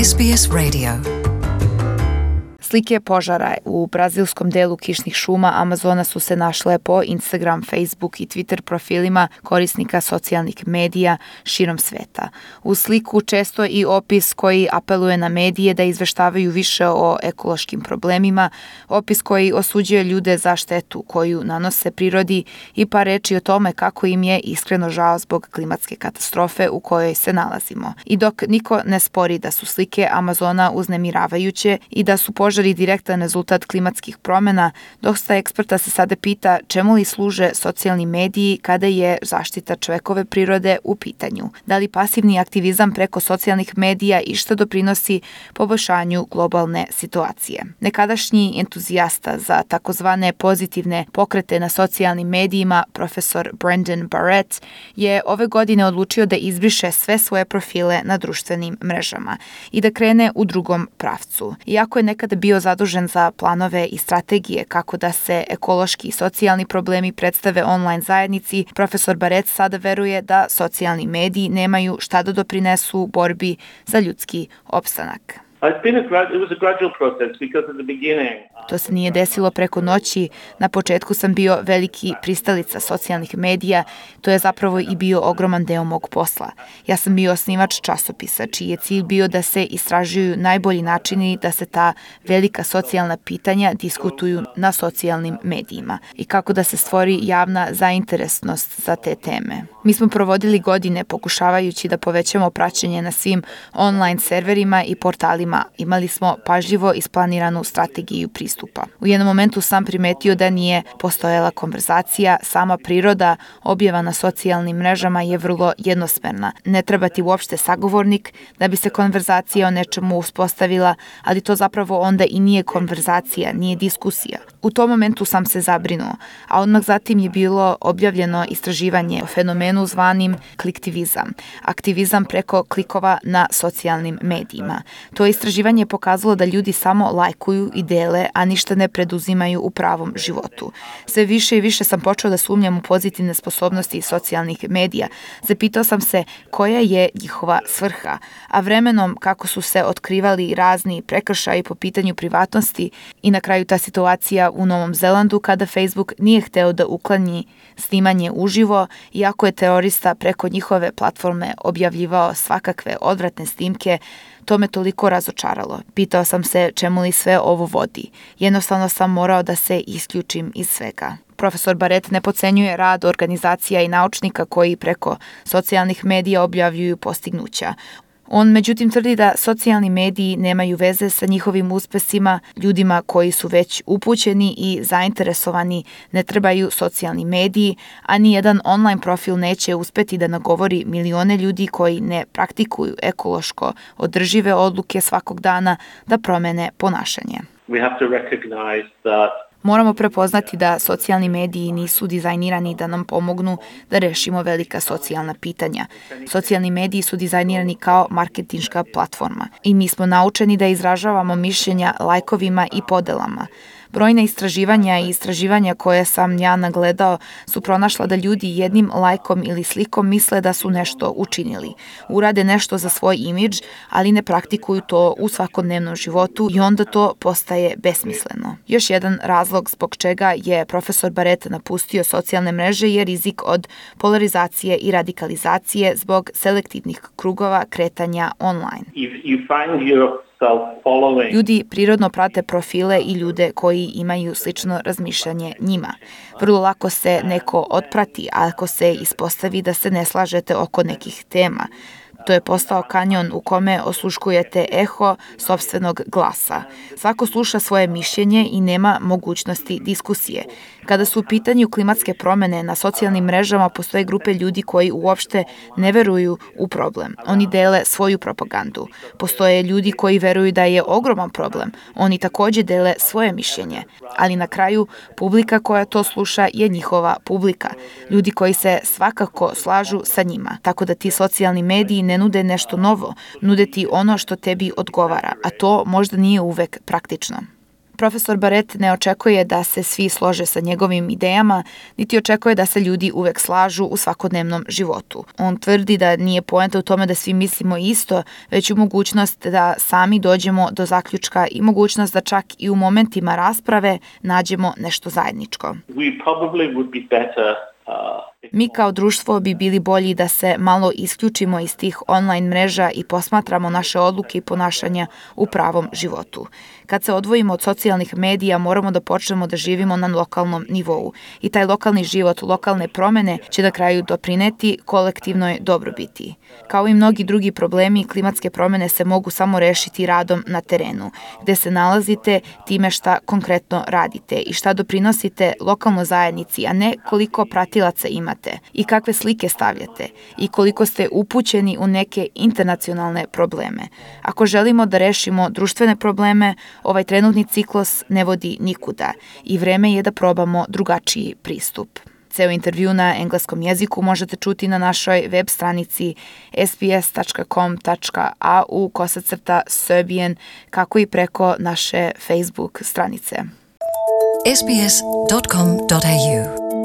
SBS Radio. Slike požara u brazilskom delu kišnih šuma Amazona su se našle po Instagram, Facebook i Twitter profilima korisnika socijalnih medija širom sveta. U sliku često i opis koji apeluje na medije da izveštavaju više o ekološkim problemima, opis koji osuđuje ljude za štetu koju nanose prirodi i par reči o tome kako im je iskreno žao zbog klimatske katastrofe u kojoj se nalazimo. I dok niko ne spori da su slike Amazona uznemiravajuće i da su požari direktan rezultat klimatskih promjena, dosta eksperta se sada pita čemu li služe socijalni mediji kada je zaštita čovekove prirode u pitanju. Da li pasivni aktivizam preko socijalnih medija išta doprinosi poboljšanju globalne situacije? Nekadašnji entuzijasta za takozvane pozitivne pokrete na socijalnim medijima, profesor Brendan Barrett, je ove godine odlučio da izbriše sve svoje profile na društvenim mrežama i da krene u drugom pravcu. Iako je nekada bio zadužen za planove i strategije kako da se ekološki i socijalni problemi predstave online zajednici, profesor Barrett sada veruje da socijalni mediji nemaju šta da doprinesu borbi za ljudski opstanak. To se nije desilo preko noći. Na početku sam bio veliki pristalica socijalnih medija. To je zapravo i bio ogroman deo mog posla. Ja sam bio osnivač časopisa, čiji je cilj bio da se istražuju najbolji načini da se ta velika socijalna pitanja diskutuju na socijalnim medijima i kako da se stvori javna zainteresnost za te teme. Mi smo provodili godine pokušavajući da povećamo praćenje na svim online serverima i portalima. Imali smo pažljivo isplaniranu strategiju pristupa. U jednom momentu sam primetio da nije postojala konverzacija, sama priroda objava na socijalnim mrežama je vrlo jednosmerna. Ne treba ti uopšte sagovornik da bi se konverzacija o nečemu uspostavila, ali to zapravo onda i nije konverzacija, nije diskusija. U tom momentu sam se zabrinuo, a odmah zatim je bilo objavljeno istraživanje o fenomenu zvanim kliktivizam, aktivizam preko klikova na socijalnim medijima. To istraživanje je pokazalo da ljudi samo lajkuju i dele, a ništa ne preduzimaju u pravom životu. Sve više i više sam počeo da sumnjam u pozitivne sposobnosti socijalnih medija. Zapitao sam se koja je njihova svrha, a vremenom kako su se otkrivali razni prekršaji po pitanju privatnosti i na kraju ta situacija u Novom Zelandu kada Facebook nije hteo da ukloni snimanje uživo, iako je terorista preko njihove platforme objavljivao svakakve odvratne snimke. To me toliko razočaralo. Pitao sam se čemu li sve ovo vodi. Jednostavno sam morao da se isključim iz svega. Profesor Barrett ne podcenjuje rad organizacija i naučnika koji preko socijalnih medija objavljuju postignuća. On međutim tvrdi da socijalni mediji nemaju veze sa njihovim uspesima, ljudima koji su već upućeni i zainteresovani ne trebaju socijalni mediji, a nijedan online profil neće uspeti da nagovori milione ljudi koji ne praktikuju ekološko održive odluke svakog dana da promene ponašanje. Moramo prepoznati da socijalni mediji nisu dizajnirani da nam pomognu da rešimo velika socijalna pitanja. Socijalni mediji su dizajnirani kao marketinška platforma i mi smo naučeni da izražavamo mišljenja lajkovima i podelama. Brojna istraživanja i istraživanja koje sam ja nagledao su pronašla da ljudi jednim lajkom ili slikom misle da su nešto učinili. Urade nešto za svoj imidž, ali ne praktikuju to u svakodnevnom životu i onda to postaje besmisleno. Još jedan razlog zbog čega je profesor Barrett napustio socijalne mreže je rizik od polarizacije i radikalizacije zbog selektivnih krugova kretanja online. Ljudi prirodno prate profile i ljude koji imaju slično razmišljanje njima. Vrlo lako se neko otprati, ako se ispostavi da se ne slažete oko nekih tema. To je postao kanjon u kome osluškujete eho sopstvenog glasa. Svako sluša svoje mišljenje i nema mogućnosti diskusije. Kada su u pitanju klimatske promene, na socijalnim mrežama postoje grupe ljudi koji uopšte ne veruju u problem. Oni dele svoju propagandu. Postoje ljudi koji veruju da je ogroman problem. Oni takođe dele svoje mišljenje. Ali na kraju, publika koja to sluša je njihova publika. Ljudi koji se svakako slažu sa njima. Tako da ti socijalni mediji ne nude nešto novo, nude ti ono što tebi odgovara, a to možda nije uvek praktično. Profesor Barrett ne očekuje da se svi slože sa njegovim idejama, niti očekuje da se ljudi uvek slažu u svakodnevnom životu. On tvrdi da nije poenta u tome da svi mislimo isto, već u mogućnost da sami dođemo do zaključka i mogućnost da čak i u momentima rasprave nađemo nešto zajedničko. Mi kao društvo bi bili bolji da se malo isključimo iz tih online mreža i posmatramo naše odluke i ponašanja u pravom životu. Kad se odvojimo od socijalnih medija, moramo da počnemo da živimo na lokalnom nivou i taj lokalni život, lokalne promene će na kraju doprineti kolektivnoj dobrobiti. Kao i mnogi drugi problemi, klimatske promene se mogu samo rešiti radom na terenu, gde se nalazite time šta konkretno radite i šta doprinosite lokalnoj zajednici, a ne koliko pratilaca imate i kakve slike stavljate i koliko ste upućeni u neke internacionalne probleme. Ako želimo da rešimo društvene probleme, ovaj trenutni ciklus ne vodi nikuda i vreme je da probamo drugačiji pristup. Ceo intervju na engleskom jeziku možete čuti na našoj web stranici sbs.com.au/Serbian, kako i preko naše Facebook stranice. sbs.com.au